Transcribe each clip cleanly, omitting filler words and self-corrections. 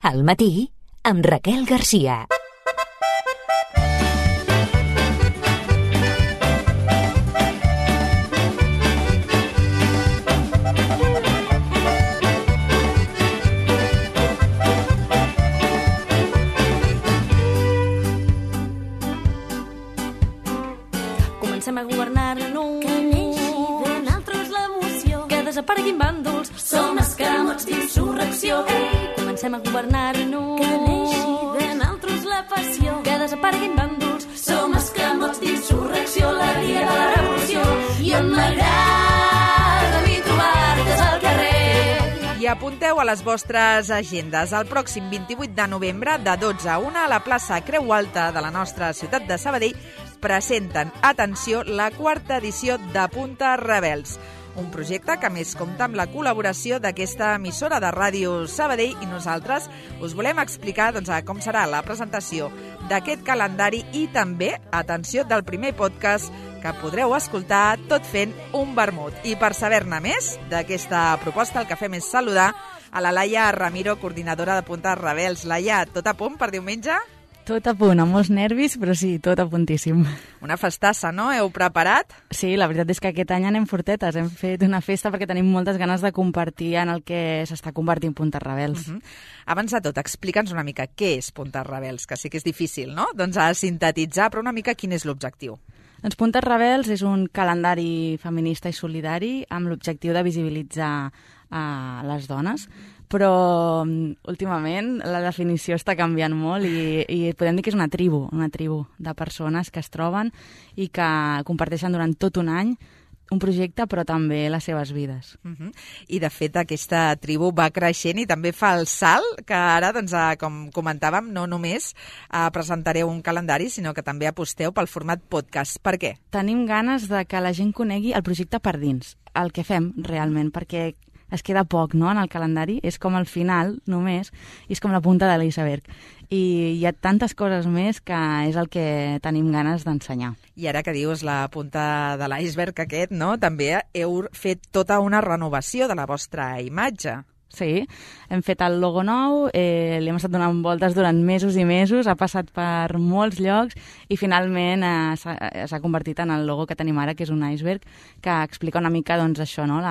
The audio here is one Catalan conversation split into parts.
Al matí, amb Raquel Garcia. Comencem a governar-nos. Que neixi de naltros l'emoció. Que desapareguin bàndols. Som escamots d'insurrecció. Comencem a governar-nos. Que neixi de naltros la passió. Que desapareguin bàndols. Som escamots d'insurrecció. La dia de la revolució. I on m'agrada a mi trobar-te al carrer. I apunteu a les vostres agendes. El pròxim 28 de novembre, de 12 a 1, a la plaça Creu Alta de la nostra ciutat de Sabadell, presenten, atenció, la quarta edició de Punta Rebels. Un projecte que a més compta amb la col·laboració d'aquesta emissora de ràdio Sabadell i nosaltres us volem explicar com serà la presentació d'aquest calendari i també, atenció, del primer podcast que podreu escoltar tot fent un vermut. I per saber-ne més d'aquesta proposta, el que fem és saludar a la Laia Ramiro, coordinadora de Punta Rebels. Laia, tot a punt per diumenge? Tot a punt, amb molts nervis, però sí, tot a puntíssim. Una festassa, no? Heu preparat? Sí, la veritat és que aquest any anem fortetes. Hem fet una festa perquè tenim moltes ganes de compartir en el que s'està convertint Punta Rebels. Abans de tot, explica'ns una mica què és Punta Rebels, que sí que és difícil, no? Doncs a sintetitzar, però una mica quin és l'objectiu. Doncs Punta Rebels és un calendari feminista i solidari amb l'objectiu de visibilitzar les dones, però últimament la definició està canviant molt i podem dir que és una tribu de persones que es troben i que comparteixen durant tot un any un projecte, però també les seves vides. I, de fet, aquesta tribu va creixent i també fa el salt que ara, com comentàvem, no només presentareu un calendari, sinó que també aposteu pel format podcast. Per què? Tenim ganes de que la gent conegui el projecte per dins, el que fem realment, perquè es queda poc, no?, en el calendari, és com el final només, i és com la punta de l'iceberg. I hi ha tantes coses més que és el que tenim ganes d'ensenyar. I ara que dius la punta de l'iceberg aquest, no?, també heu fet tota una renovació de la vostra imatge. Sí, hem fet el logo nou, li hem estat donant voltes durant mesos i mesos, ha passat per molts llocs i finalment s'ha convertit en el logo que tenim ara, que és un iceberg, que explica una mica això, no?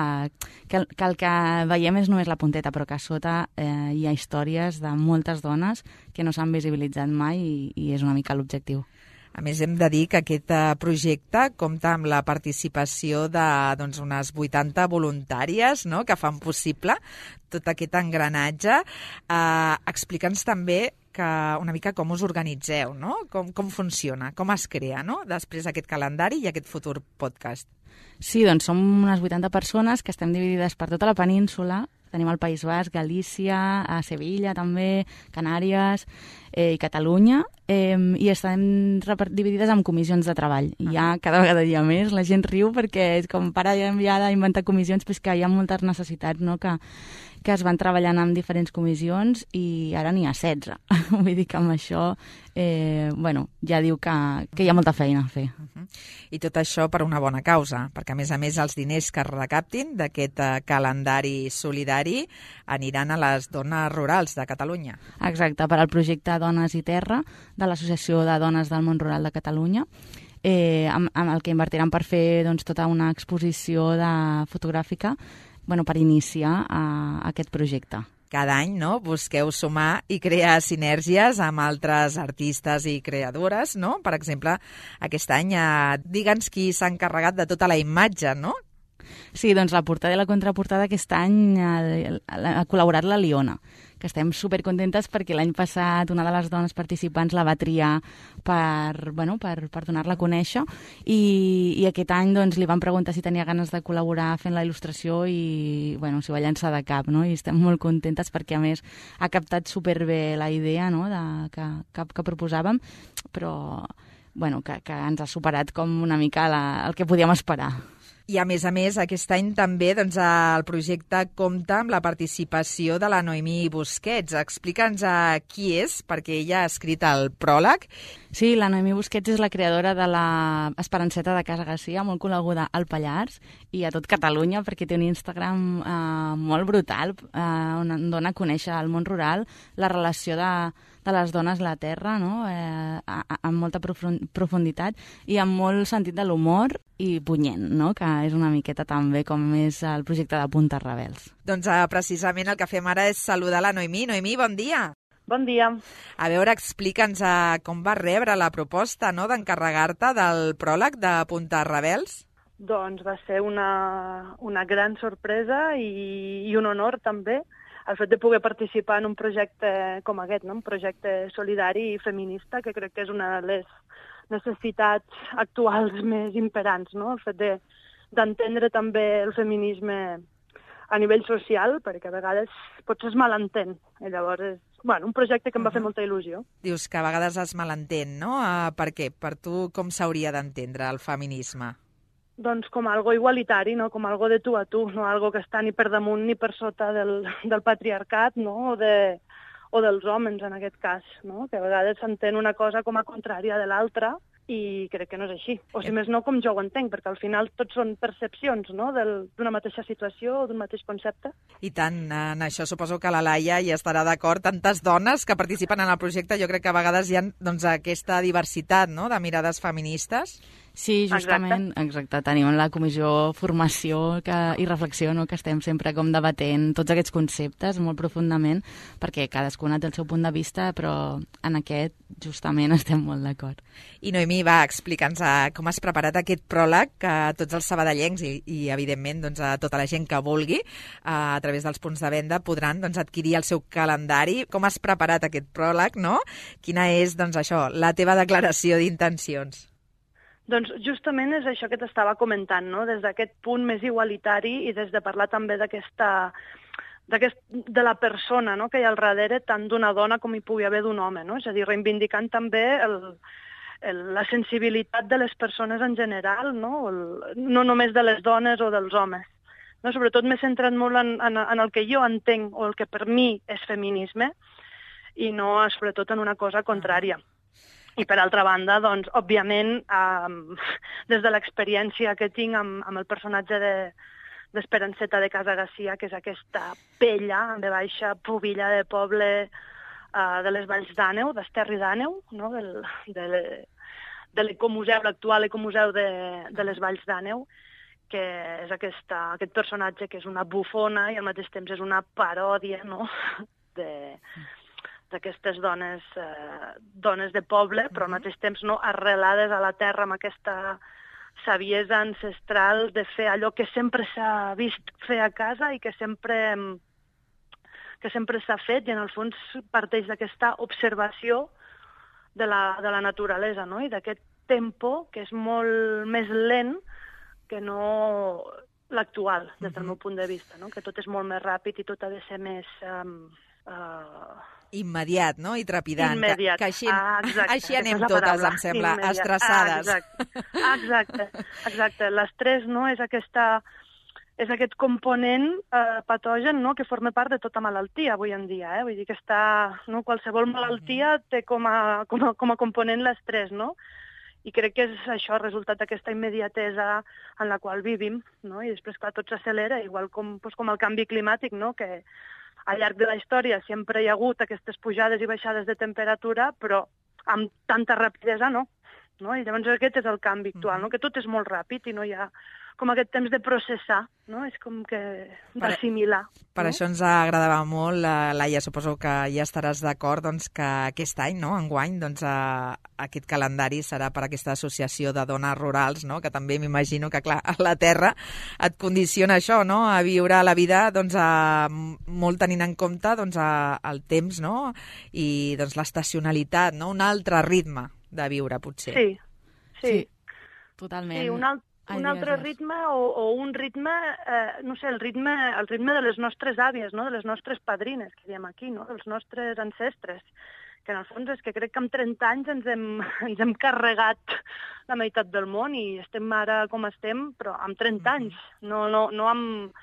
Que el que veiem és només la punteta, però que a sota hi ha històries de moltes dones que no s'han visibilitzat mai i és una mica l'objectiu. A més, hem de dir que aquest projecte compta amb la participació d'unes 80 voluntàries, no?, que fan possible tot aquest engranatge. Explica'ns també una mica com us organitzeu, no?, com funciona, com es crea, no?, després aquest calendari i aquest futur podcast. Sí, doncs som unes 80 persones que estem dividides per tota la península. Tenim el País Basc, Galícia, a Sevilla també, Canàries i Catalunya, i estem dividides en comissions de treball. I cada vegada hi ha més, la gent riu perquè és com para ja d'inventar comissions, però és que hi ha moltes necessitats, no?, que es van treballant en diferents comissions i ara n'hi ha 16. Vull dir que amb això ja diu que hi ha molta feina a fer. I tot això per una bona causa, perquè a més els diners que es recaptin d'aquest calendari solidari aniran a les dones rurals de Catalunya. Exacte, per al projecte Dones i Terra de l'Associació de Dones del Món Rural de Catalunya, amb el que invertiran per fer tota una exposició fotogràfica per iniciar aquest projecte. Cada any, no?, busqueu sumar i crear sinergies amb altres artistes i creadores, no? Per exemple, aquest any, digue'ns qui s'ha encarregat de tota la imatge, no? Sí, doncs la portada i la contraportada aquest any ha col·laborat la Liona, que estem supercontentes perquè l'any passat una de les dones participants la va triar per donar-la a conèixer i aquest any li van preguntar si tenia ganes de col·laborar fent la il·lustració i s'hi va llançar de cap, no? I estem molt contentes perquè a més ha captat superbé la idea, no?, que proposàvem, però que ens ha superat com una mica el que podíem esperar. I a més, aquest any també el projecte compta amb la participació de la Noemí Busquets. Explica'ns qui és, perquè ella ha escrit el pròleg. Sí, la Noemí Busquets és la creadora de la Esperanceta de Casa Garcia, molt coneguda al Pallars i a tot Catalunya, perquè té un Instagram molt brutal, on dona a conèixer al món rural la relació de les dones a la terra, no? Amb molta profunditat i amb molt sentit de l'humor i punyent, no? Que és una miqueta també com és el projecte de Puntes Rebels. Doncs precisament el que fem ara és saludar la Noemí. Noemí, bon dia! Bon dia. A veure, explica'ns com vas rebre la proposta, no?, d'encarregar-te del pròleg de Puntes Rebels. Doncs va ser una gran sorpresa i un honor també el fet de poder participar en un projecte com aquest, no? Un projecte solidari i feminista, que crec que és una de les necessitats actuals més imperants, no? El fet d'entendre també el feminisme a nivell social, perquè a vegades potser es malentén. I llavors és un projecte que em va fer molta il·lusió. Dius que a vegades es malentén, no? Per què? Per tu com s'hauria d'entendre el feminisme? Doncs com algo igualitari, no? Com algo de tu a tu, no algo que està ni per damunt ni per sota del patriarcat, no? O dels homes, en aquest cas, no? Que a vegades s'entén una cosa com a contrària de l'altra, i crec que no és així. O si més no, com jo ho entenc, perquè al final tots són percepcions, no?, d'una mateixa situació o d'un mateix concepte. I tant, en això suposo que la Laia hi estarà d'acord. Tantes dones que participen en el projecte, jo crec que a vegades hi ha aquesta diversitat, no?, de mirades feministes. Sí, justament, exacte. Tenim la comissió formació i reflexió, no?, que estem sempre com debatent tots aquests conceptes molt profundament, perquè cadascuna té el seu punt de vista, però en aquest justament estem molt d'acord. I Noemí, va, explica'ns com has preparat aquest pròleg que tots els sabadellencs i evidentment, doncs, a tota la gent que vulgui, a través dels punts de venda, podran, doncs, adquirir el seu calendari. Com has preparat aquest pròleg, no? Quina és, doncs, això, la teva declaració d'intencions? Doncs justament és això que t'estava comentant, no? Des d'aquest punt més igualitari i des de parlar també de la persona, no?, que hi ha al darrere, tant d'una dona com hi pugui haver d'un home, no? És a dir, reivindicant també la sensibilitat de les persones en general, no? No només de les dones o dels homes. No? Sobretot m'he centrat molt en el que jo entenc o el que per mi és feminisme i no sobretot en una cosa contrària. I per altra banda, doncs, òbviament, des de l'experiència que tinc amb el personatge d'Esperanceta de Casa Garcia, que és aquesta pella, en ve baixa, pubilla de poble de les Valls d'Àneu, d'Esterri d'Àneu, no? de l'ecomuseu, l'actual ecomuseu de les Valls d'Àneu, que és aquest personatge que és una bufona i al mateix temps és una paròdia, no?, d'aquestes dones de poble, però al mateix temps no arrelades a la terra amb aquesta saviesa ancestral de fer allò que sempre s'ha vist fer a casa i que sempre s'ha fet, i en el fons parteix d'aquesta observació de la naturalesa, no?, i d'aquest tempo que és molt més lent que no l'actual, des del meu punt de vista, no?, que tot és molt més ràpid i tot ha de ser més immediat, no?, i trepidant. Immediat. Que així anem totes, em sembla, estressades. Exacte. L'estrès, no?, és aquest component patogen, no?, que forma part de tota malaltia avui en dia, Vull dir que qualsevol malaltia té com a component l'estrès, no? I crec que és això, el resultat d'aquesta immediatesa en la qual vivim, no? I després, clar, tot s'accelera, igual com el canvi climàtic, no?, que al llarg de la història sempre hi ha hagut aquestes pujades i baixades de temperatura, però amb tanta rapidesa no? I llavors aquest és el canvi actual, no?, que tot és molt ràpid i no hi ha com aquest temps de processar, no? És com que d'assimilar. Per això ens agradava molt, Laia, suposo que ja estaràs d'acord, doncs, que aquest any, no?, enguany, doncs, aquest calendari serà per aquesta associació de dones rurals, no?, que també m'imagino que, clar, la terra et condiciona això, no?, a viure la vida, doncs, molt tenint en compte, doncs, el temps, no?, i, doncs, l'estacionalitat, no?, un altre ritme de viure, potser. Sí. Totalment. Sí, un altre ritme o un ritme, no sé, el ritme de les nostres àvies, no?, de les nostres padrines, que diem aquí, no?, dels nostres ancestres, que en el fons és que crec que amb 30 anys ens hem carregat la meitat del món i estem ara com estem, però amb 30 anys, no amb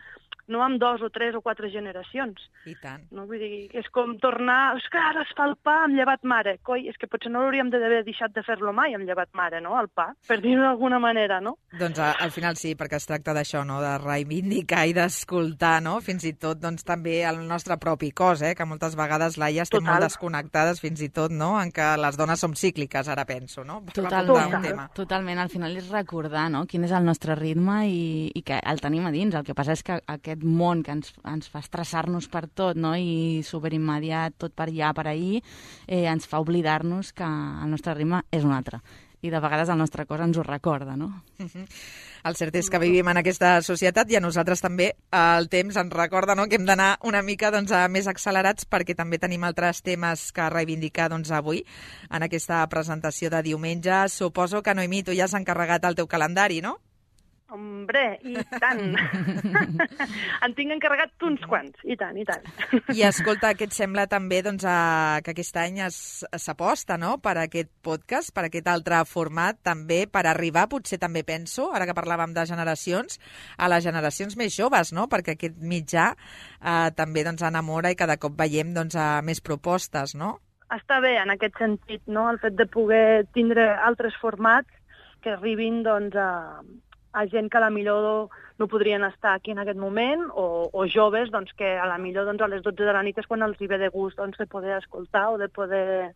no amb 2 o 3 o 4 generacions. I tant. No? Vull dir, és com tornar... És que ara es fa el pa amb llevat mare. Coi, és que potser no hauríem d'haver deixat de fer-lo mai amb llevat mare, no?, el pa, per dir-ho d'alguna manera, no? Doncs al final sí, perquè es tracta d'això, no?, de reivindicar i d'escoltar, no?, fins i tot doncs, també el nostre propi cos, que moltes vegades, Laia, estem molt desconnectades fins i tot, no?, en què les dones som cícliques, ara penso, no? Totalment. Al final és recordar, no?, quin és el nostre ritme i que el tenim a dins. El que passa és que aquest món que ens fa estressar-nos per tot, no?, i superimmediat, tot per allà, per ahir, ens fa oblidar-nos que el nostre ritme és un altre. I de vegades el nostre cos ens ho recorda, no? El cert és que vivim en aquesta societat i a nosaltres també el temps ens recorda, no?, que hem d'anar una mica doncs, més accelerats perquè també tenim altres temes que reivindicar doncs, avui en aquesta presentació de diumenge. Suposo que, Noemí, tu ja has encarregat el teu calendari, no? Hombre, i tant. En tinc encarregat uns quants, i tant, i tant. I escolta, què et sembla també doncs, que aquest any s'aposta, no?, per aquest podcast, per aquest altre format, també per arribar, potser també penso, ara que parlàvem de generacions, a les generacions més joves, no?, perquè aquest mitjà també doncs, enamora i cada cop veiem doncs, més propostes, no? Està bé en aquest sentit, no?, el fet de poder tindre altres formats que arribin doncs, a gent que a la millor no podrien estar aquí en aquest moment, o joves doncs, que a la millor doncs, a les 12 de la nit és quan els hi ve de gust doncs, de poder escoltar o de poder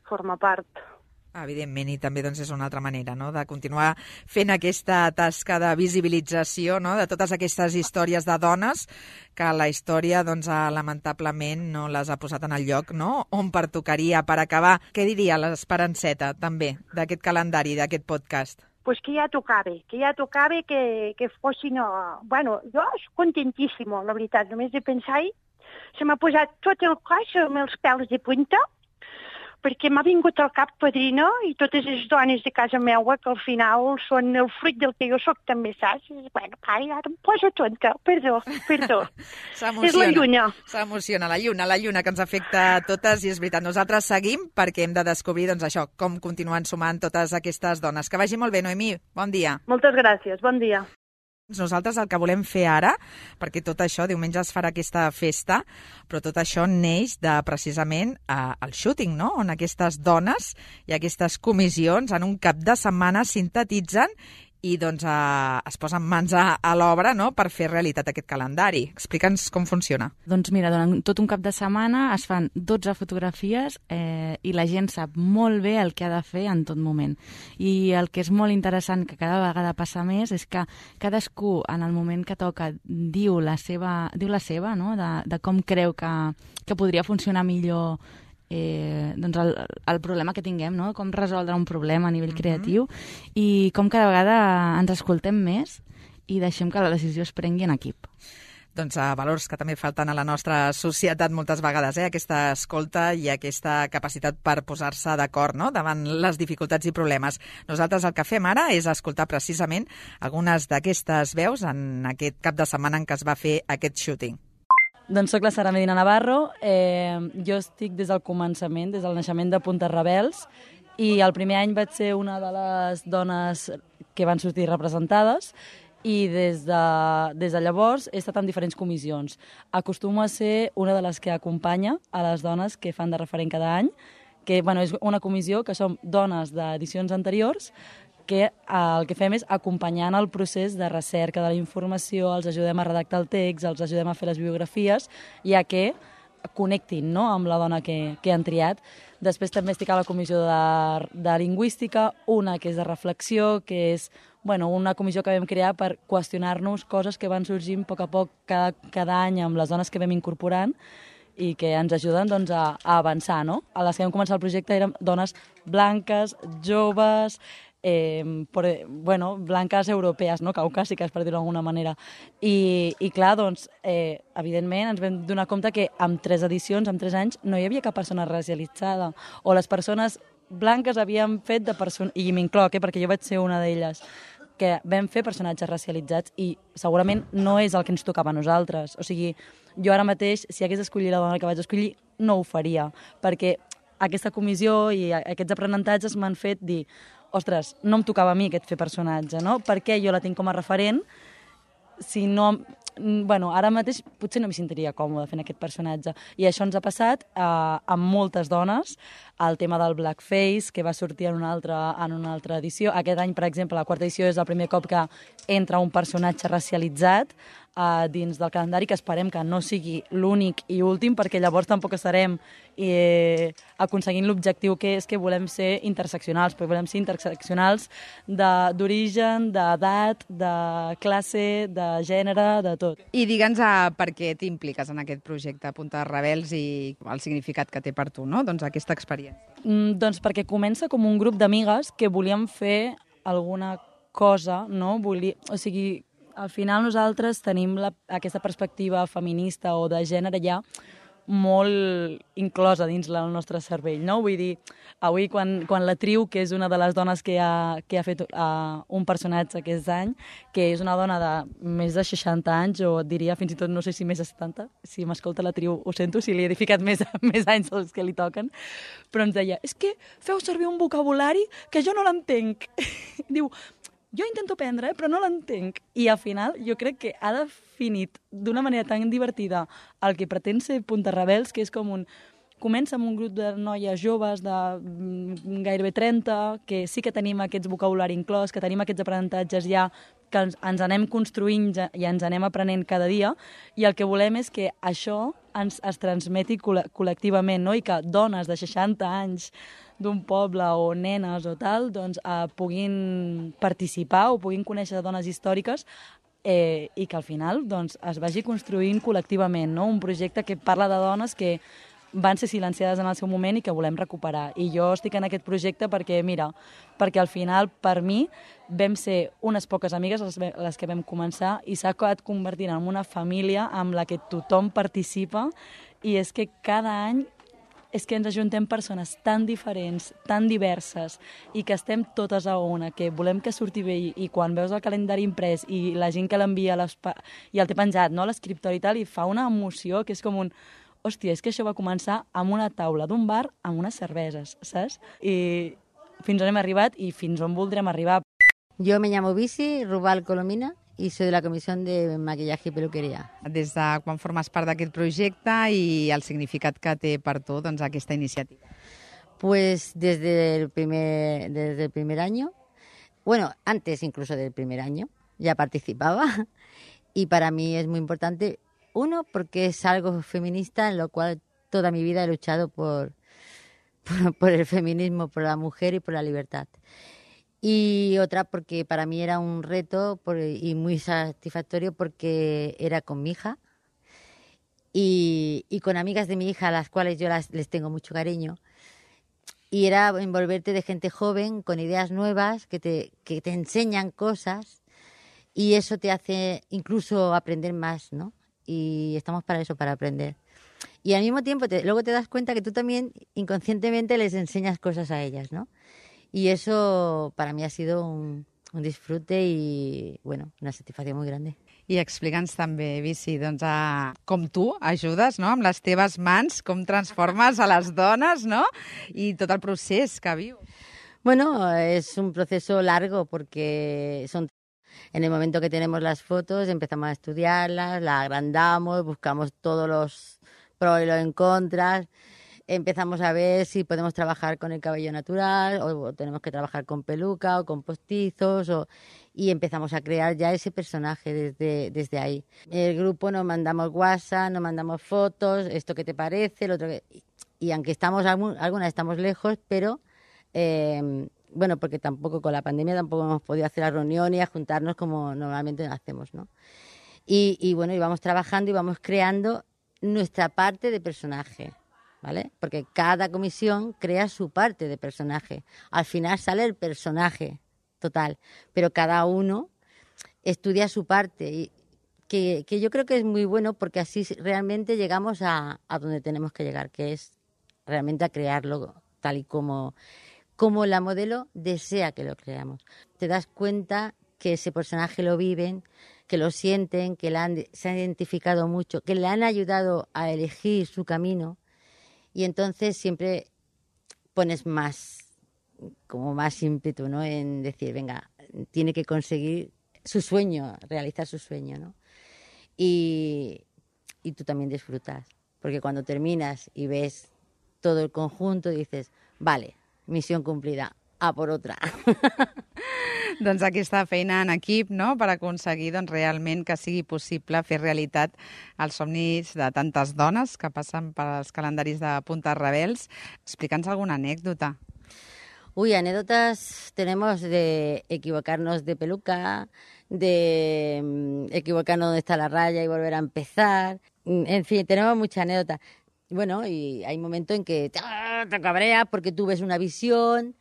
formar part. Evidentment, i també doncs, és una altra manera, no?, de continuar fent aquesta tasca de visibilització, no?, de totes aquestes històries de dones que la història, doncs, lamentablement, no les ha posat en el lloc, no?, on pertocaria. Per acabar, què diria l'Esperanceta, també, d'aquest calendari, d'aquest podcast? Pues que ja tocava, que fossin... Bueno, jo estic contentíssima, la veritat. Només de pensar-hi, se m'ha posat tot el cos amb els pèls de punta, perquè m'ha vingut al cap Padrina i totes les dones de casa meua, que al final són el fruit del que jo soc també, saps? Bueno, ara em poso tonta, perdó. És la lluna. S'emociona, la lluna que ens afecta a totes, i és veritat, nosaltres seguim perquè hem de descobrir, doncs això, com continuen sumant totes aquestes dones. Que vagi molt bé, Noemí, bon dia. Moltes gràcies, bon dia. Nosaltres el que volem fer ara, perquè tot això, diumenge es farà aquesta festa, però tot això neix de precisament el shooting, no?, on aquestes dones i aquestes comissions en un cap de setmana sintetitzen i doncs es posen mans a l'obra, no?, per fer realitat aquest calendari. Explica'ns com funciona. Doncs mira, durant tot un cap de setmana es fan 12 fotografies i la gent sap molt bé el que ha de fer en tot moment. I el que és molt interessant, que cada vegada passa més, és que cadascú, en el moment que toca, diu la seva, no?, de com creu que podria funcionar millor doncs el problema que tinguem, no?, com resoldre un problema a nivell creatiu, i com cada vegada ens escoltem més i deixem que la decisió es prengui en equip. Doncs valors que també falten a la nostra societat moltes vegades, aquesta escolta i aquesta capacitat per posar-se d'acord, no?, davant les dificultats i problemes. Nosaltres el que fem ara és escoltar precisament algunes d'aquestes veus en aquest cap de setmana en què es va fer aquest shooting. Doncs soc la Sara Medina Navarro, jo estic des del començament, des del naixement de Puntes Rebels, i el primer any vaig ser una de les dones que van sortir representades, i des de llavors he estat en diferents comissions. Acostumo a ser una de les que acompanya a les dones que fan de referent cada any, que és una comissió que som dones d'edicions anteriors, que el que fem és acompanyar el procés de recerca de la informació, els ajudem a redactar el text, els ajudem a fer les biografies, ja que connectin, no?, amb la dona que han triat. Després també estic a la comissió de lingüística, una que és de reflexió, que és una comissió que vam crear per qüestionar-nos coses que van sorgint a poc a poc cada any amb les dones que vam incorporant i que ens ajuden doncs, a avançar, no? A les que vam començar el projecte eren dones blanques, joves, blanques europees, no?, caucàsiques, per dir-ho d'alguna manera. I clar, doncs, evidentment, ens vam donar compte que amb 3 edicions, amb 3 anys, no hi havia cap persona racialitzada. O les persones blanques havien fet de persones, i m'incloc, perquè jo vaig ser una d'elles, que vam fer personatges racialitzats i segurament no és el que ens tocava a nosaltres. O sigui, jo ara mateix, si hagués d'escollir la dona que vaig escollir, no ho faria, perquè aquesta comissió i aquests aprenentatges m'han fet dir ostres, no em tocava a mi aquest fer personatge, no? Perquè jo la tinc com a referent si no... Bueno, ara mateix potser no m'hi sentiria còmode fent aquest personatge. I això ens ha passat amb moltes dones. El tema del blackface, que va sortir en una altra edició. Aquest any, per exemple, la quarta edició és el primer cop que entra un personatge racialitzat dins del calendari, que esperem que no sigui l'únic i últim, perquè llavors tampoc estarem aconseguint l'objectiu que és que volem ser interseccionals, però volem ser interseccionals d'origen, d'edat, de classe, de gènere, de tot. I digue'ns per què t'impliques en aquest projecte Punta de Rebels i el significat que té per tu, no? Doncs aquesta experiència. Doncs perquè comença com un grup d'amigues que volíem fer alguna cosa, no? O sigui, al final nosaltres tenim aquesta perspectiva feminista o de gènere ja molt inclosa dins el nostre cervell, no? Vull dir, avui quan la Triu, que és una de les dones que ha fet un personatge aquest any, que és una dona de més de 60 anys, o diria fins i tot, no sé si més de 70, si m'escolta la Triu ho sento, si li he ficat més anys dels que li toquen, però ens deia, és que feu servir un vocabulari que jo no l'entenc. Diu, jo intento aprendre, però no l'entenc. I al final jo crec que ha definit d'una manera tan divertida el que pretén ser Punta Rebels, que és com comença amb un grup de noies joves de gairebé 30, que sí que tenim aquest vocabulari inclòs, que tenim aquests aprenentatges ja, que ens anem construint i ens anem aprenent cada dia, i el que volem és que això es transmeti col·lectivament, no? I que dones de 60 anys d'un poble o nenes o tal, doncs puguin participar o puguin conèixer dones històriques i que al final doncs, es vagi construint col·lectivament, no? Un projecte que parla de dones que van ser silenciades en el seu moment i que volem recuperar. I jo estic en aquest projecte perquè, mira, perquè al final, per mi, vam ser unes poques amigues les que vam començar i s'ha acabat convertint en una família amb la que tothom participa i és que cada any és que ens ajuntem persones tan diferents, tan diverses, i que estem totes a una, que volem que surti bé, i quan veus el calendari imprès i la gent que l'envia i el té penjat, no, a l'escriptori i tal, i fa una emoció que és com un... Hòstia, és que això va començar amb una taula d'un bar amb unes cerveses, saps? I fins on hem arribat i fins on voldrem arribar. Yo me llamo Visi Rubal Colomina y soy de la Comisión de Maquillaje y Peluquería. Des de quan formes part d'aquest projecte i el significat que té per tu doncs, aquesta iniciativa? Pues desde el primer año, bueno, antes incluso del primer año, ya participaba y para mí es muy importante. Uno, porque es algo feminista en lo cual toda mi vida he luchado por el feminismo, por la mujer y por la libertad. Y otra, porque para mí era un reto y muy satisfactorio porque era con mi hija y con amigas de mi hija a las cuales yo les tengo mucho cariño. Y era envolverte de gente joven, con ideas nuevas, que te enseñan cosas y eso te hace incluso aprender más, ¿no? Y estamos para eso, para aprender. Y al mismo tiempo luego te das cuenta que tú también inconscientemente les enseñas cosas a ellas, ¿no? Y eso para mí ha sido un disfrute y, bueno, una satisfacció molt grande. I explica'ns també, Visi, doncs, com tu ajudes, no?, amb les teves mans, com transformes a les dones, no?, i tot el procés que vius. Bueno, es un proceso largo porque en el momento que tenemos las fotos empezamos a estudiarlas, las agrandamos, buscamos todos los pros y los en contras, empezamos a ver si podemos trabajar con el cabello natural o tenemos que trabajar con peluca o con postizos y empezamos a crear ya ese personaje desde ahí. El grupo nos mandamos WhatsApp, nos mandamos fotos, esto que te parece, lo otro y aunque algunas estamos lejos, pero bueno, porque tampoco con la pandemia tampoco hemos podido hacer las reuniones y a juntarnos como normalmente hacemos, ¿no? Y bueno, y vamos trabajando y vamos creando nuestra parte de personaje, ¿vale? Porque cada comisión crea su parte de personaje. Al final sale el personaje total, pero cada uno estudia su parte y que yo creo que es muy bueno porque así realmente llegamos a donde tenemos que llegar, que es realmente a crearlo tal y como la modelo desea que lo creamos. Te das cuenta que ese personaje lo viven, que lo sienten, que se han identificado mucho, que le han ayudado a elegir su camino y entonces siempre pones más ímpetu, ¿no?, en decir, venga, tiene que conseguir su sueño, realizar su sueño, ¿no? Y tú también disfrutas, porque cuando terminas y ves todo el conjunto dices, vale, misión cumplida, a por otra. Doncs aquesta feina en equip, no?, per aconseguir realment que sigui possible fer realitat els somnis de tantes dones que passen pels calendaris de Punta Rebels. Explica'ns alguna anècdota. Uy, anécdotas tenemos de equivocarnos de peluca, de equivocarnos donde está la raya y volver a empezar. En fin, tenemos muchas anécdotas. Bueno, y hay momentos en que te cabreas porque tú ves una visión,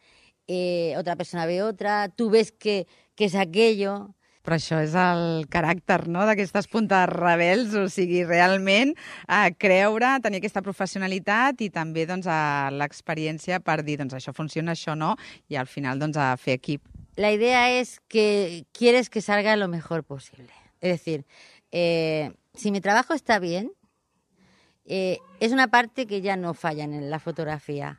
otra persona ve otra, tú ves que es aquello. Però això és el caràcter, no?, d'aquestes Puntes Rebels, o sigui, realment creure, tenir aquesta professionalitat i també l'experiència per dir, això funciona, això no, i al final a fer equip. La idea es que quieres que salga lo mejor posible. Es decir, si mi trabajo está bien, es una parte que ya no falla en la fotografía,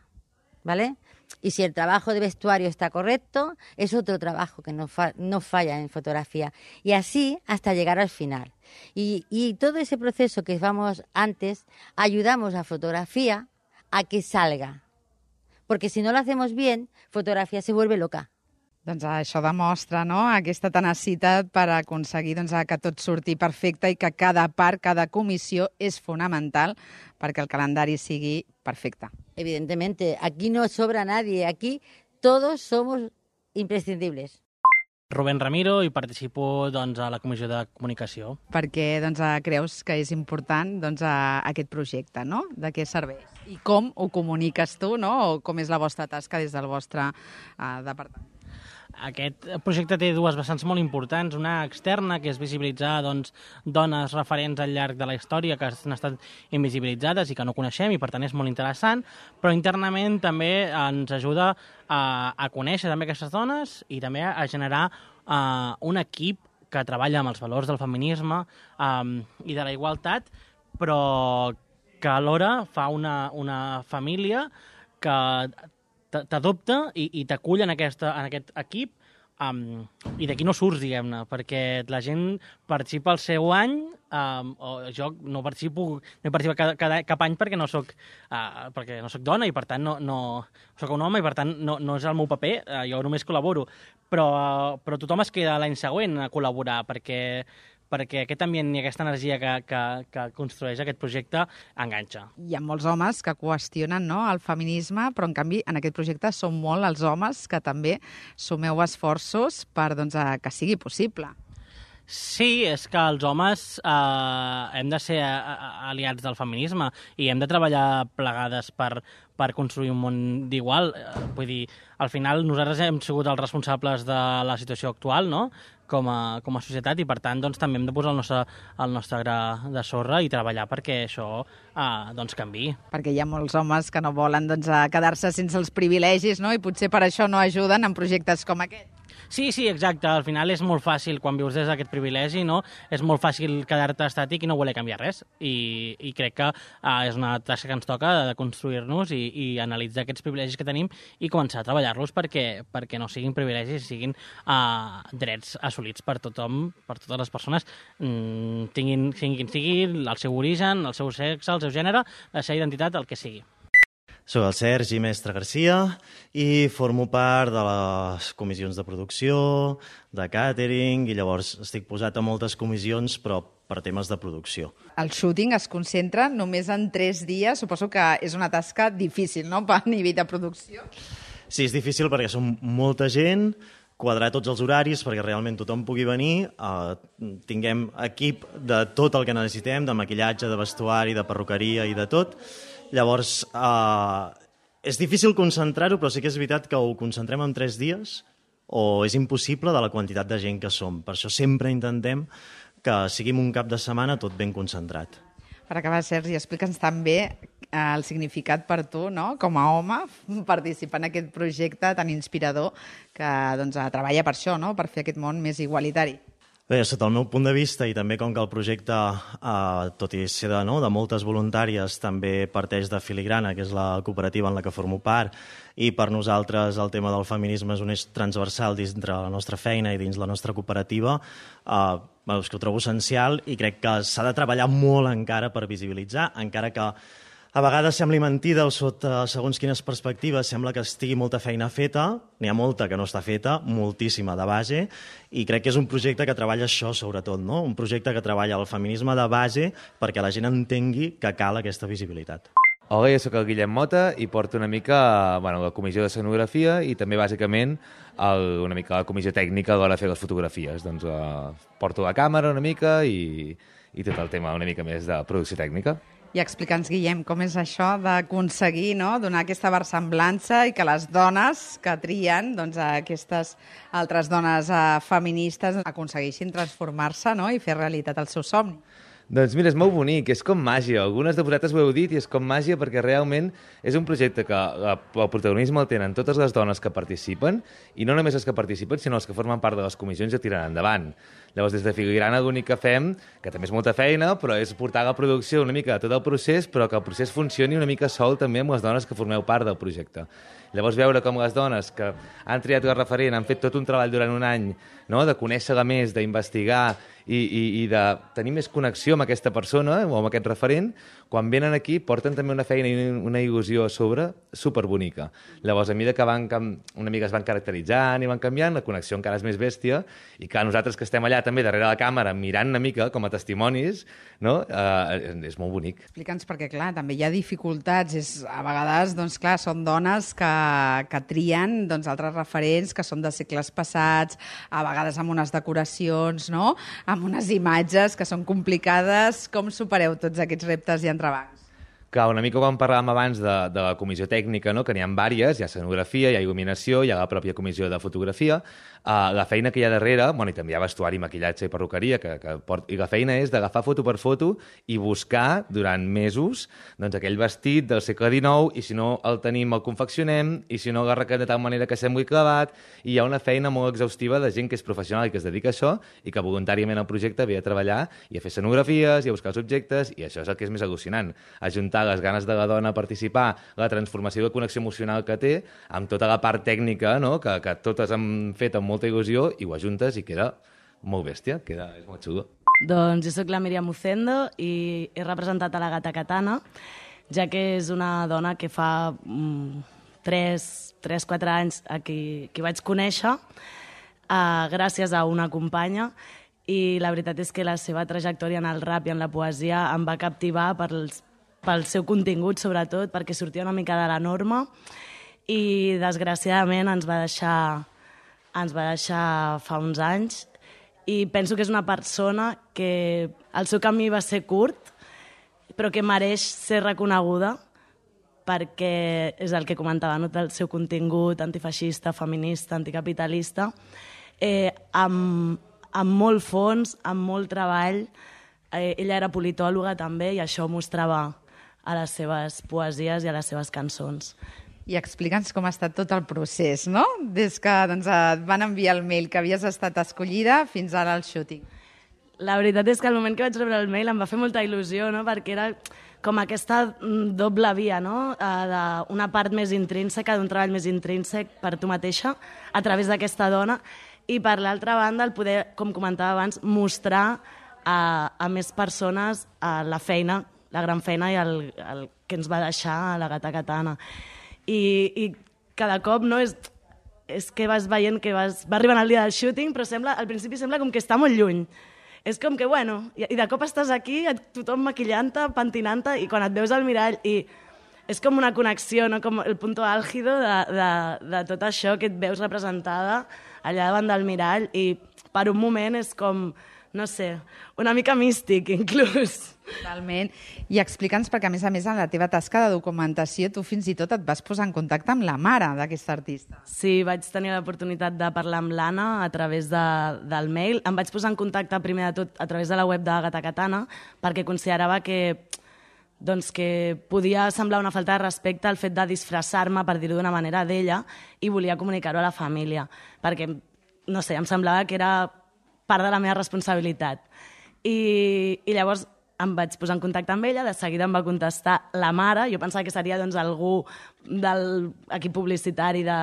¿vale? Y si el trabajo de vestuario está correcto, es otro trabajo que no falla en fotografía. Y así hasta llegar al final. Y todo ese proceso que vamos antes, ayudamos a fotografía a que salga. Porque si no lo hacemos bien, fotografía se vuelve loca. Doncs això demostra, no?, aquesta tenacitat per aconseguir que tot surti perfecte i que cada part, cada comissió és fonamental perquè el calendari sigui perfecte. Evidentemente, aquí no sobra nadie, aquí todos somos imprescindibles. Rubén Ramiro i participo a la Comissió de Comunicació. Per què creus que és important aquest projecte, no?, de què serveix? I com ho comuniques tu, no?, o com és la vostra tasca des del vostre departament? Aquest projecte té dues vessants molt importants. Una externa, que és visibilitzar dones referents al llarg de la història que han estat invisibilitzades i que no coneixem i per tant és molt interessant, però internament també ens ajuda a conèixer també aquestes dones i també a generar un equip que treballa amb els valors del feminisme i de la igualtat, però que alhora fa una família que t'adopta i t'acull en aquest equip i d'aquí no surts, diguem-ne, perquè la gent participa al seu any, o jo no participo cap any perquè no soc dona i per tant no soc un home i per tant no és el meu paper, jo només col·laboro, però tothom es queda l'any següent a col·laborar perquè aquest ambient i aquesta energia que construeix aquest projecte enganxa. Hi ha molts homes que qüestionen, no?, el feminisme, però en canvi en aquest projecte són molt els homes que també sumeu esforços per que sigui possible. Sí, és que els homes hem de ser aliats del feminisme i hem de treballar plegades per construir un món d'igual. Vull dir, al final nosaltres hem sigut els responsables de la situació actual, no?, com a societat, i per tant també hem de posar el nostre gra de sorra i treballar perquè això canviï. Perquè hi ha molts homes que no volen quedar-se sense els privilegis, no?, i potser per això no ajuden en projectes com aquest. Sí, exacte. Al final és molt fàcil, quan vius des d'aquest privilegi, no? És molt fàcil quedar-te estàtic i no voler canviar res. I crec que és una tasca que ens toca de construir-nos i analitzar aquests privilegis que tenim i començar a treballar-los perquè no siguin privilegis, siguin drets assolits per tothom, per totes les persones, siguin quin sigui el seu origen, el seu sexe, el seu gènere, la seva identitat, el que sigui. Soc el Sergi Mestre Garcia i formo part de les comissions de producció, de càtering, i llavors estic posat a moltes comissions, però per temes de producció. El shooting es concentra només en 3 dies. Suposo que és una tasca difícil, no?, a nivell de producció. Sí, és difícil perquè som molta gent, quadrar tots els horaris perquè realment tothom pugui venir, tinguem equip de tot el que necessitem, de maquillatge, de vestuari, de perruqueria i de tot. Llavors, és difícil concentrar-ho, però sí que és veritat que ho concentrem en 3 dies o és impossible de la quantitat de gent que som. Per això sempre intentem que siguin un cap de setmana tot ben concentrat. Per acabar, Sergi, explica'ns també el significat per tu, no?, com a home, participar en aquest projecte tan inspirador que treballa per això, no?, per fer aquest món més igualitari. Bé, sota el meu punt de vista, i també com que el projecte, tot i ser de moltes voluntàries, també parteix de Filigrana, que és la cooperativa en la que formo part, i per nosaltres el tema del feminisme és un eix transversal dintre la nostra feina i dins la nostra cooperativa, és que ho trobo essencial i crec que s'ha de treballar molt encara per visibilitzar, encara que a vegades sembli mentida o sota segons quines perspectives sembla que estigui molta feina feta, n'hi ha molta que no està feta, moltíssima de base, i crec que és un projecte que treballa això sobretot, no? Un projecte que treballa el feminisme de base perquè la gent entengui que cal aquesta visibilitat. Hola, jo soc el Guillem Mota i porto una mica la comissió d'escenografia i també bàsicament una mica la comissió tècnica a l'hora de fer les fotografies. Doncs porto la càmera una mica i tot el tema una mica més de producció tècnica. I explica'ns, Guillem, com és això d'aconseguir donar aquesta versemblança i que les dones que trien, aquestes altres dones feministes, aconsegueixin transformar-se i fer realitat el seu somni? Doncs mira, és molt bonic, és com màgia. Algunes de vosaltres ho heu dit i és com màgia perquè realment és un projecte que el protagonisme el tenen totes les dones que participen i no només les que participen, sinó les que formen part de les comissions i tiren endavant. Llavors, des de Filigrana l'únic que fem, que també és molta feina, però és portar la producció una mica de tot el procés, però que el procés funcioni una mica sol també amb les dones que formeu part del projecte. Llavors, veure com les dones que han triat la referent han fet tot un treball durant un any, de conèixer-la més, d'investigar i de tenir més connexió amb aquesta persona o amb aquest referent, quan venen aquí porten també una feina i una il·lusió a sobre superbonica. Llavors, a mesura que una mica es van caracteritzant i van canviant, la connexió encara és més bèstia i que nosaltres que estem allà també darrere la càmera mirant una mica com a testimonis, és molt bonic. Explica'ns perquè, clar, també hi ha dificultats. A vegades, clar, són dones que trien altres referents que són de segles passats, a vegades amb unes decoracions, amb unes imatges que són complicades. Com supereu tots aquests reptes i entrebancs? Clar, una mica com parlàvem abans de la comissió tècnica, que n'hi ha diverses, hi ha escenografia, hi ha il·luminació, hi ha la pròpia comissió de fotografia, la feina que hi ha darrere, i també hi ha vestuari, maquillatge i perruqueria, i la feina és d'agafar foto per foto i buscar durant mesos aquell vestit del segle XIX, i si no el tenim el confeccionem, i si no l'agarrem de tal manera que sembli clavat, i hi ha una feina molt exhaustiva de gent que és professional i que es dedica a això, i que voluntàriament al projecte ve a treballar i a fer escenografies i a buscar els objectes, i això és el que és més al·lucinant, ajuntar les ganes de la dona a participar, la transformació i la connexió emocional que té, amb tota la part tècnica, que totes han fet amb molta il·lusió, i ho ajuntes i queda molt bèstia, és molt xulo. Doncs jo sóc la Míriam Ucendo i he representat a la Gata Katana, ja que és una dona que fa 3-4 anys que vaig conèixer gràcies a una companya, i la veritat és que la seva trajectòria en el rap i en la poesia em va captivar pel seu contingut, sobretot, perquè sortia una mica de la norma i, desgraciadament, ens va deixar fa uns anys, i penso que és una persona que el seu camí va ser curt, però que mereix ser reconeguda perquè és el que comentava, el seu contingut antifeixista, feminista, anticapitalista, amb molt fons, amb molt treball. Ella era politòloga també i això mostrava a les seves poesies i a les seves cançons. I explica'ns com ha estat tot el procés, no? Des que et van enviar el mail que havies estat escollida fins ara al shooting. La veritat és que al moment que vaig rebre el mail em va fer molta il·lusió, perquè era com aquesta doble via, d'una part més intrínseca, d'un treball més intrínsec per tu mateixa, a través d'aquesta dona, i per l'altra banda el poder, com comentava abans, mostrar a més persones la feina, la gran feina i el que ens va deixar a la Gata Katana. I cada cop és que vas veient que va arribant el dia del shooting, però al principi sembla com que està molt lluny. És com que, i de cop estàs aquí, tothom maquillant-te, pentinant-te, i quan et veus al mirall, i és com una connexió, com el punto álgido de tot això que et veus representada allà davant del mirall, i per un moment és com, no sé, una mica místic, inclús. Totalment. I explica'ns, perquè a més, en la teva tasca de documentació, tu fins i tot et vas posar en contacte amb la mare d'aquesta artista. Sí, vaig tenir l'oportunitat de parlar amb l'Anna a través del mail. Em vaig posar en contacte, primer de tot, a través de la web de Gata Katana, perquè considerava que podia semblar una falta de respecte el fet de disfressar-me, per dir-ho d'una manera, d'ella, i volia comunicar-ho a la família. Perquè, no sé, em semblava que era part de la meva responsabilitat. I llavors em vaig posar en contacte amb ella, de seguida em va contestar la mare, jo pensava que seria doncs, algú de l'equip publicitari de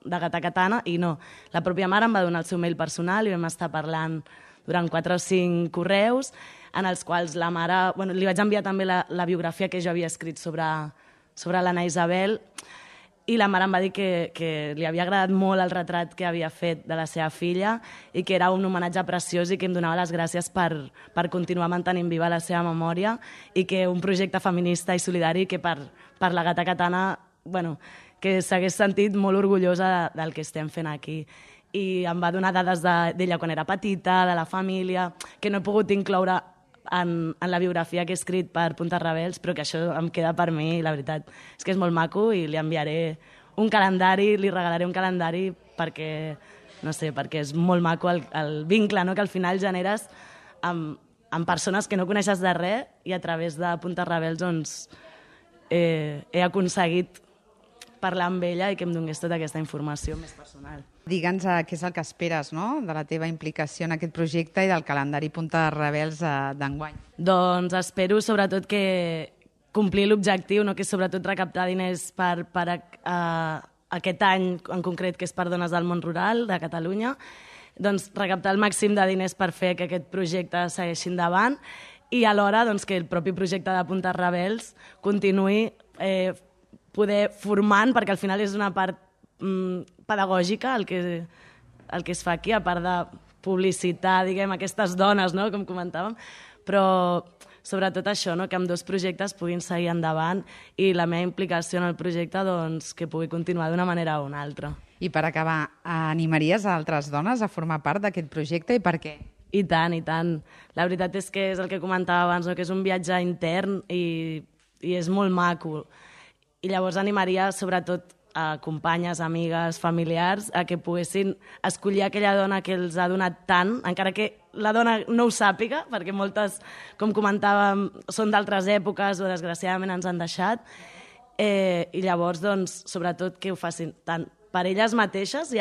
Gata Katana, i no. La pròpia mare em va donar el seu mail personal i vam estar parlant durant 4 o 5 correus, en els quals la mare... Bueno, li vaig enviar també la biografia que jo havia escrit sobre l'Anna Isabel, i la mare em va dir que li havia agradat molt el retrat que havia fet de la seva filla i que era un homenatge preciós i que em donava les gràcies per continuar mantenint viva la seva memòria i que un projecte feminista i solidari que per la Gata Katana, bueno, que s'hagués sentit molt orgullosa del que estem fent aquí. I em va donar dades d'ella quan era petita, de la família, que no he pogut incloure en la biografia que he escrit per Puntes Rebels, però que això em queda per mi, la veritat. És que és molt maco i li enviaré un calendari, li regalaré un calendari perquè, no sé, perquè és molt maco el vincle, no?, que al final generes amb persones que no coneixes de res i a través de Puntes Rebels doncs, he aconseguit parlar amb ella i que em donés tota aquesta informació més personal. Digue'ns què és el que esperes, no?, de la teva implicació en aquest projecte i del calendari Puntes Rebels d'enguany. Doncs espero sobretot que complir l'objectiu, no?, que és sobretot recaptar diners per aquest any en concret, que és per dones del món rural de Catalunya, doncs recaptar el màxim de diners per fer que aquest projecte segueixi endavant i alhora doncs, que el propi projecte de Puntes Rebels continuï poder formant, perquè al final és una part pedagògica el que es fa aquí, a part de publicitar, diguem, aquestes dones, no?, com comentàvem, però sobretot això, no?, que amb 2 projectes puguin seguir endavant i la meva implicació en el projecte doncs, que pugui continuar d'una manera o una altra. I per acabar, animaries a altres dones a formar part d'aquest projecte i per què? I tant, i tant. La veritat és que és el que comentava abans, no?, que és un viatge intern i és molt maco. I llavors animaria sobretot a companyes, amigues, familiars, a que poguessin escollir aquella dona que els ha donat tant, encara que la dona no ho sàpiga, perquè moltes, com comentàvem, són d'altres èpoques o desgraciadament ens han deixat, i llavors, doncs, sobretot que ho facin tant per elles mateixes,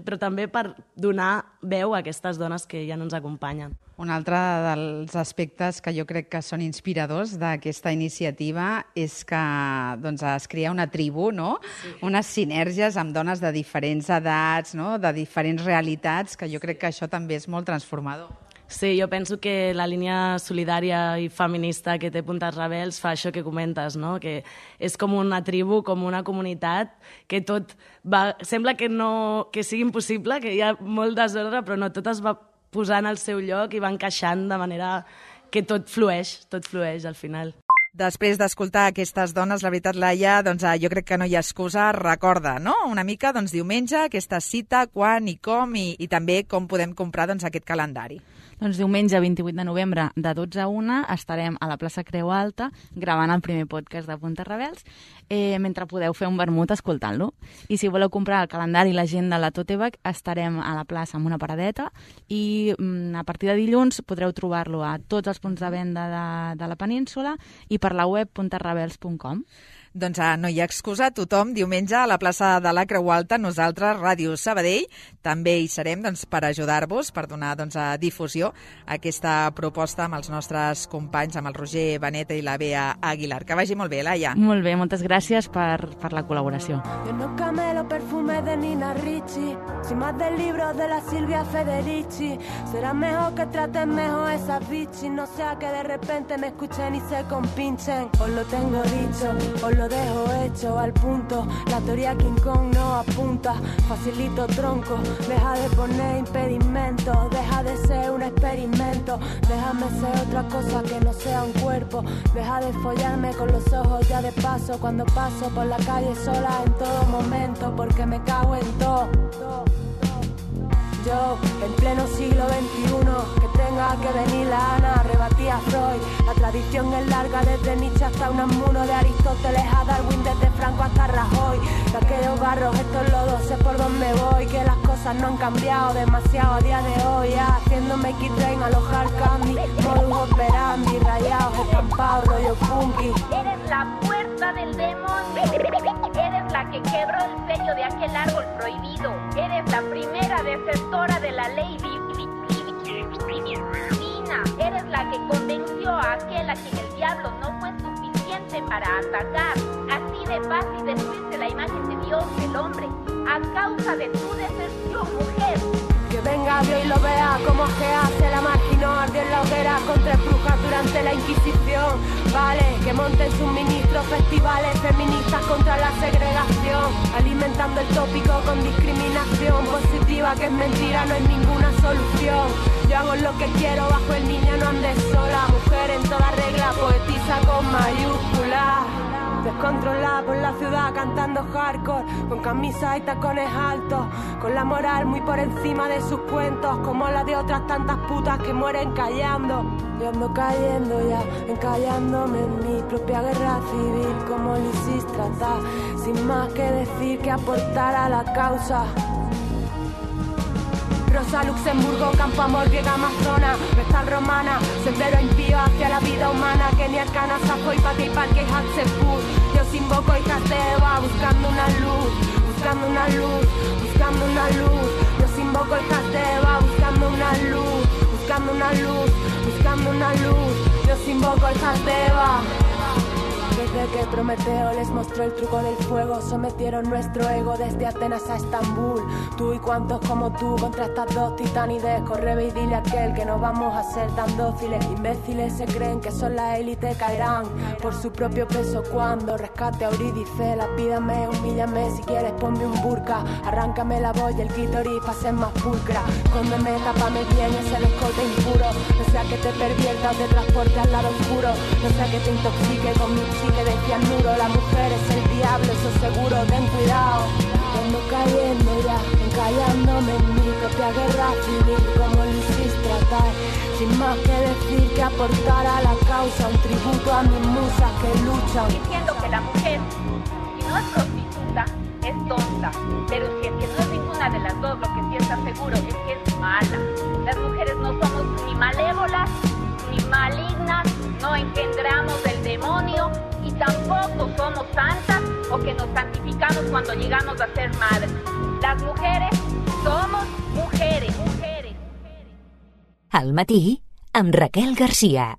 però també per donar veu a aquestes dones que ja no ens acompanyen. Un altre dels aspectes que jo crec que són inspiradors d'aquesta iniciativa és que doncs, es crea una tribu, no? Sí. Unes sinergies amb dones de diferents edats, no?, de diferents realitats, que jo crec que això també és molt transformador. Sí, jo penso que la línia solidària i feminista que té Puntes Rebels fa això que comentes, no?, que és com una tribu, com una comunitat, que tot va... Sembla que sigui impossible, que hi ha molt desordre, però no, tot es va posar en el seu lloc i va encaixant de manera que tot flueix al final. Després d'escoltar aquestes dones, la veritat, Laia, doncs, jo crec que no hi ha excusa. Recorda, no?, una mica, doncs, diumenge, aquesta cita, quan i com, i també com podem comprar doncs, aquest calendari. Doncs diumenge 28 de novembre de 12 a 1 estarem a la plaça Creu Alta gravant el primer podcast de Puntes Rebels mentre podeu fer un vermut escoltant-lo. I si voleu comprar el calendari i l'agenda a la Tote Bag, estarem a la plaça amb una paradeta i a partir de dilluns podreu trobar-lo a tots els punts de venda de la península i per la web puntesrebels.com. Doncs no hi ha excusa, tothom diumenge a la plaça de la Creu Alta, nosaltres, Ràdio Sabadell, també hi serem doncs, per ajudar-vos, per donar doncs, difusió a aquesta proposta amb els nostres companys, amb el Roger Benet i la Bea Aguilar. Que vagi molt bé, Laia. Molt bé, moltes gràcies per la col·laboració. Yo no camelo perfume de Nina Ricci, soy más del libro de la Silvia Federici. Será mejor que traten mejor esas bichis, no sea que de repente me escuchen y se compinchen. Os lo tengo dicho, os lo dejo hecho al punto. La teoría King Kong no apunta. Facilito tronco, deja de poner impedimentos, deja de ser un experimento, déjame ser otra cosa que no sea un cuerpo, deja de follarme con los ojos ya de paso cuando paso por la calle sola en todo momento, porque me cago en todo. Yo, en pleno siglo XXI, que tenga que venir la Ana, rebatí a Freud. La tradición es larga, desde Nietzsche hasta Unamuno, de Aristóteles a Darwin, desde Franco hasta Rajoy. De aquellos barros, estos lodos, sé por dónde voy, que las cosas no han cambiado demasiado a día de hoy. Haciéndome X-Train, alojar candy, modus operandi, rayados, estampados, rollo funky. Eres la puerta del demonio, eres la que quebró el sello de aquel árbol prohibido, eres la primera desertora de la ley que convenció a aquel a quien el diablo no fue suficiente para atacar. Así de fácil destruirse la imagen de Dios del hombre a causa de tu deserción, mujer. Que venga Dios y lo vea como Gea se la marginó, ardió en la hoguera con 3 brujas durante la Inquisición. Vale, que monten sus ministros festivales feministas contra la segregación, alimentando el tópico con discriminación positiva, que es mentira, no hay ninguna solución. Yo hago lo que quiero bajo el niño, no andes sola, mujer en toda regla, poetisa con mayúsculas. Descontrolada por la ciudad cantando hardcore, con camisas y tacones altos, con la moral muy por encima de sus cuentos, como la de otras tantas putas que mueren callando. Yo ando cayendo ya, encallándome en mi propia guerra civil, como Lisístrata, sin más que decir que aportar a la causa. Rosa Luxemburgo, Campo Amor, griega amazona, Vestal romana, sendero impío hacia la vida humana, Kenia Arcana, Safo y Pati y Parque y Hatshepsut. Yo os invoco hijas de Eva, buscando una luz, buscando una luz, buscando una luz. Yo os invoco hijas de Eva, buscando una luz, buscando una luz, buscando una luz. Yo os invoco hijas de Eva. Desde que Prometeo les mostró el truco del fuego, sometieron nuestro ego desde Atenas a Estambul. Tú y cuantos como tú contra estas dos titanides, corre y dile a aquel que no vamos a ser tan dóciles. Imbéciles se creen que son la élite, caerán por su propio peso cuando rescate a Eurídice. Lapídame, humíllame, si quieres ponme un burka, arráncame la voz y el clítoris pa' ser más pulcra. Escóndeme, tápame bien ese escote impuro, no sea que te pervierta o te transporte al lado oscuro, no sea que te intoxique con mi chicle de cianuro. La mujer es el diablo, eso seguro, ten cuidado. Ando cayendo ya, encallándome en mi propia guerra civil, como Lisístrata, sin más que decir que aportar a la causa, un tributo a mis musas que luchan. Diciendo que la mujer, si no es prostituta, es tonta, pero si es que no es ninguna de las dos, lo que sí está seguro es que es mala. Las mujeres no somos ni malévolas, ni malignas, no engendramos del demonio y tampoco somos santas o que nos santificamos cuando llegamos a ser madres. Las mujeres somos mujeres. Al matí, amb Raquel Garcia.